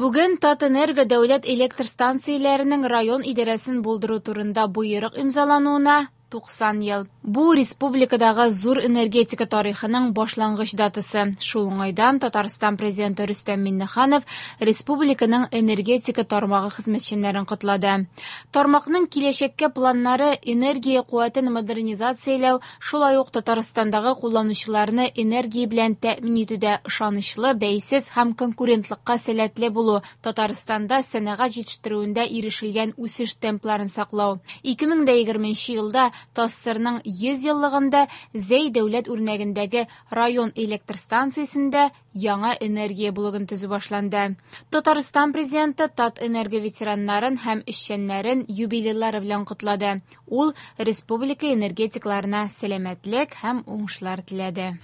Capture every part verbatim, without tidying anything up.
Бүген Татэнерго дәүләт электр станцияләренең район идарәсен булдыру турында боерык имзалануына туксан ел. Бу республикадагы зур энергетика тарихының башлангыч датасы. Шул уңайдан Татарстан президенты Рөстәм Миңнеханов республиканың энергетика тармагы хезмәтчәннәрен котлады. Тармакның киләчәккә планнары энергия куәтен модернизацияләү, шулай ук Татарстандагы кулланучыларны энергия белән тәэмин итүдә ышанычлы, бәйсез һәм конкурентлыкка сәләтле булу, Татарстанда сәнәгать җитештерүендә ирешелгән үсеш темпларын саклау. ике мең дә егерменче елда ТАССРның йөз еллыгында Зәй дәүләт үрнәгендәге район электр станциясендә яңа энергия блогын төзү башланды. Татарстан президенты Татэнерго ветераннарын һәм эшчәннәрен юбилейлары белән котлады. Ул республика энергетикларына сәламәтлек һәм уңышлар теләде.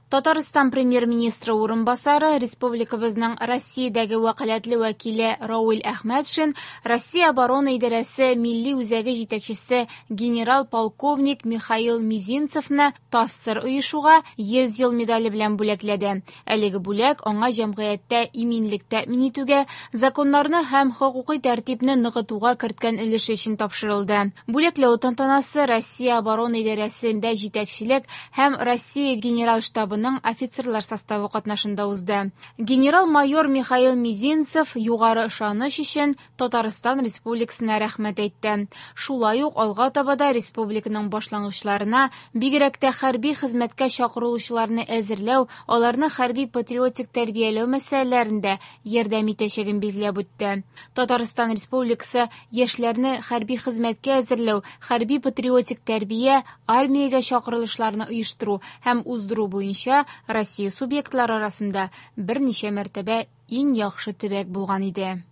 Татарстан премьер-министры урынбасары, республикабызның Россиядәге вәкаләтле вәкиле Равил Әхмәтшин, Россия оборона идарәсе милли үзәге җитәкчесе генерал-полковник Михаил Мизинцевны ТАССР оешуга йөз ел медале белән бүләкләде. Әлеге бүләк аңа җәмгыятьтә иминлек тәэмин итүгә, законнарны һәм хокукый тәртипне ныгытуга керткән өлеше өчен тапшырылды. Бүләкләү тантанасы Россия оборона идарәсендә җитәкчелек һәм Россия генераль штабы офицерлар составы катнашында узды. Генерал-майор Михаил Мизинцев югары ышаныч өчен Татарстан Республикасына рәхмәт әйтте. Шулай ук алга таба да республиканың башлангычларына, бигрәк тә хәрби хезмәткә чакырылучыларны әзерләү, аларны хәрби-патриотик тәрбияләү мәсьәләләрендә ярдәм итәчәген билгеләп үтте. Татарстан Республикасы яшьләрне хәрби хезмәткә әзерләү, хәрби-патриотик тәрбия, армиягә чакырылышларны оештыру һәм уздыру буенча Россия субъектлары арасында берничә мәртәбә иң яхшы төбәк булган иде.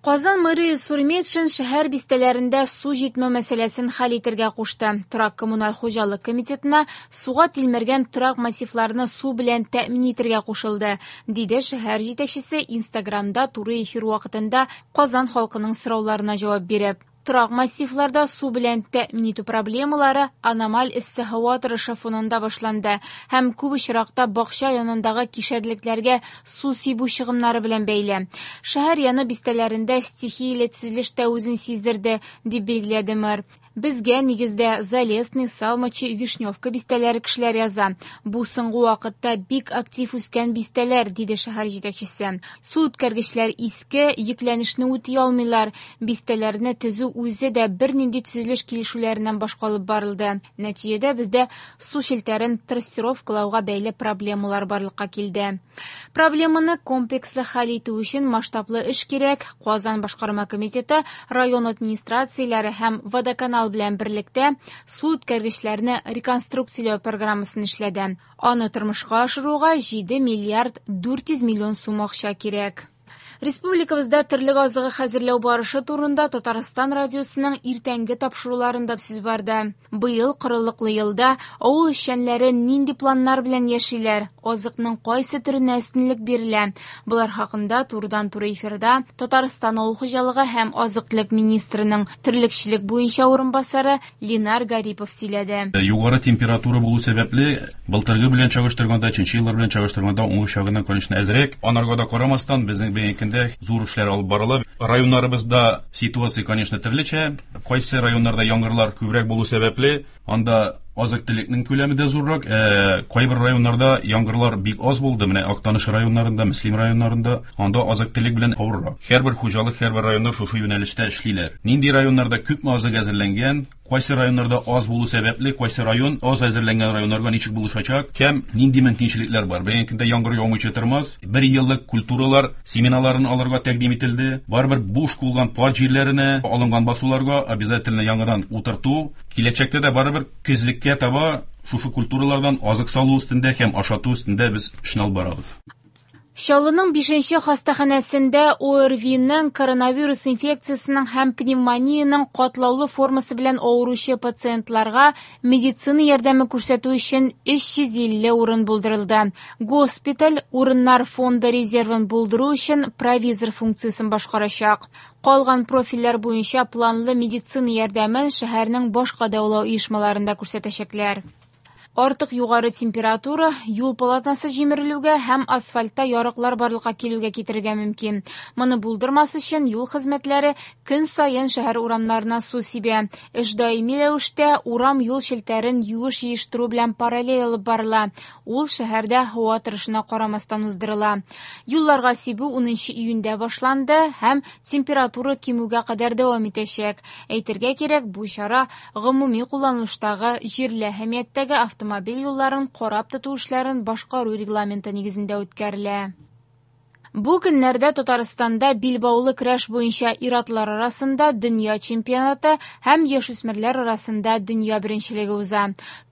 Казан мэры Илсур Метшин шәһәр бистәләрендә су җитмәү мәсьәләсен хәл итәргә кушты. Торак коммуналь хуҗалык комитетына суга тилмергән торак массивларны су белән тәэмин итәргә кушылды, диде шәһәр җитәкчесе Инстаграмда туры эфир вакытында Казан халкының сорауларына җавап биреп. Торак массивларда су белән тәэмин итү проблемалары аномаль эссе һава торышы фонында башланды һәм күп очракта бакча янындагы кишәрлекләргә су сибү чыгымнары белән бәйле. Шәһәр яны бистәләрендә стихияле төзелеш тә үзен сиздерде, дип билгеләде мэр. Безгә нигездә Залесный, Салмачи, Вишневка бистәләре кешеләр яза. Бу соңгы вакытта бик актив үскән бистәләр, диде шәһәр җитәкчесе. Су үткәргечләр иске, йөкләнешне үти алмыйлар. Бистәләрне төзү үзе дә бернинди төзелеш килешүләреннән башка алып барылды. Нәтиҗәдә бездә су челтәрен трассировкалауга бәйле проблемалар барлыкка килде. Проблеманы комплекслы хәл итү өчен масштаблы эш кирәк. Казан башкарма комитеты, район администрацияләре һәм водоканал белән берлектә су үткәргечләрне реконструкцияләү программасын эшләде. Аны тормышка ашыруга җиде миллиард дүрт йөз миллион сум акча кирәк. Республикабызда терлек азыгы хәзерләү барышы турында Татарстан радиосының иртәнге тапшыруларында сүз барды. Быел корылыклы елда авыл эшчәннәре нинди планнар белән яшиләр, азыкның кайсы төренә өстенлек бирелә? Болар хакында турыдан-туры эфирда Татарстан авыл хуҗалыгы һәм азык-төлек министрының терлекчелек буенча урынбасары Ленар Гарипов сөйләде. Югары температура булу сәбәпле, былтыргы белән чагыштырганда, өченче еллар белән чагыштырганда уңыш ягыннан, конечно, әзрәк. Анарга да карамастан, безнең бүгенге көндә зур эшләр алып барыла. Районнарыбызда ситуация, конечно, төрлечә. Кайсы районнарда яңгырлар күбрәк булу сәбәпле, анда азык-төлекнең күләме дә зуррак. Э, кайбер районнарда яңгырлар бик аз булды. Менә Актаныш районнарында, Мөслим районнарында анда азык-төлек белән авыррак. Һәрбер хуҗалык, һәрбер районда шушы юнәлештә эшлиләр. Нинди районнарда күпме азык әзерләнгән, кайсы районнарда аз булу сәбәпле, кайсы район аз әзерләнгән районнарга ничек булышачак, кем нинди мөмкинчелекләр бар. Бүгенге көндә яңгыр яумыйча тормас. Бер еллык культуралар семеналарын алырга тәкъдим ителде. Барыбер буш булган пар җирләренә, алынган басуларга обязательно яңадан утырту. Киләчәктә дә барыбер көзлеккә таба шушы культуралардан азык салу өстендә һәм ашату өстендә без эшне алып барабыз. Чаллының бишенче хастаханәсендә ОРВИның коронавирус инфекциясының һәм пневмониянең катлаулы формасы белән авыручы пациентларга медицина ярдәме күрсәтү өчен өч йөз илле урын булдырылды. Госпиталь урыннар фонды резервын булдыру өчен провизор функциясен башкарачак. Калган профильләр буенча планлы медицина ярдәмен шәһәрнең башка дәвалау оешмаларында күрсәтәчәкләр. Артык югары температура юл полотносы җимерелүгә һәм асфальтта ярыклар барлыкка килүгә китерергә мөмкин. Моны булдырмас өчен юл хезмәтләре көн саен шәһәр урамнарына су сибә. Эш даими рәвештә урам-юл челтәрен юеш җыештыру белән параллель алып барыла. Ул шәһәрдә һава торышына карамастан уздырыла. Юлларга сибү унынчы июньдә башланды һәм температура кимүгә кадәр дәвам итәчәк. Әйтергә кирәк, бу чара гомуми кулланылыштагы җирле әһәмияттәге автомобиль Автомобиль юлларын карап тоту эшләрен башкару регламенты нигезендә үткәрелә. Бу көннәрдә Татарстанда билбаулы көрәш буенча ир-атлар арасында дөнья чемпионаты һәм яшүсмерләр арасында дөнья беренчелеге уза.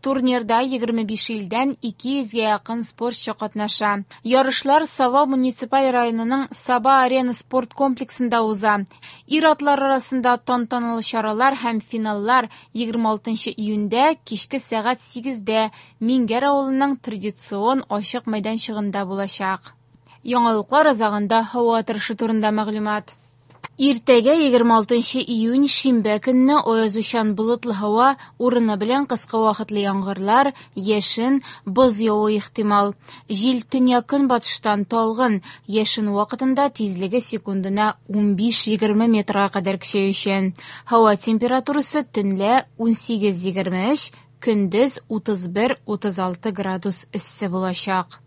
Турнирда егерме биш илдән ике йөзгә якын спортчы катнаша. Ярышлар Саба муниципаль районының Саба арена спорт комплексында уза. Ир-атлар арасында тантаналы чаралар һәм финаллар егерме алтынчы июньдә кичке сәгать сигездә Миңгәр авылының традицион ачык мәйданчыгында булачак. Яңалыклар азагында һава торышы турында мәгълүмат. Иртәгә егерме алтынчы июнь шимбә көнне аязучан болытлы һава, урыны белән кыска вакытлы яңгырлар, яшен, боз явуы ихтимал. Җил төньяк-көнбатыштан талгын, яшен вакытында тизлеге секундына унбиш-егерме метрга кадәр көчәючән. Һава температурасы төнлә унсигез-егерме өч, көндез утыз бер-утыз алты градус эссе булачак.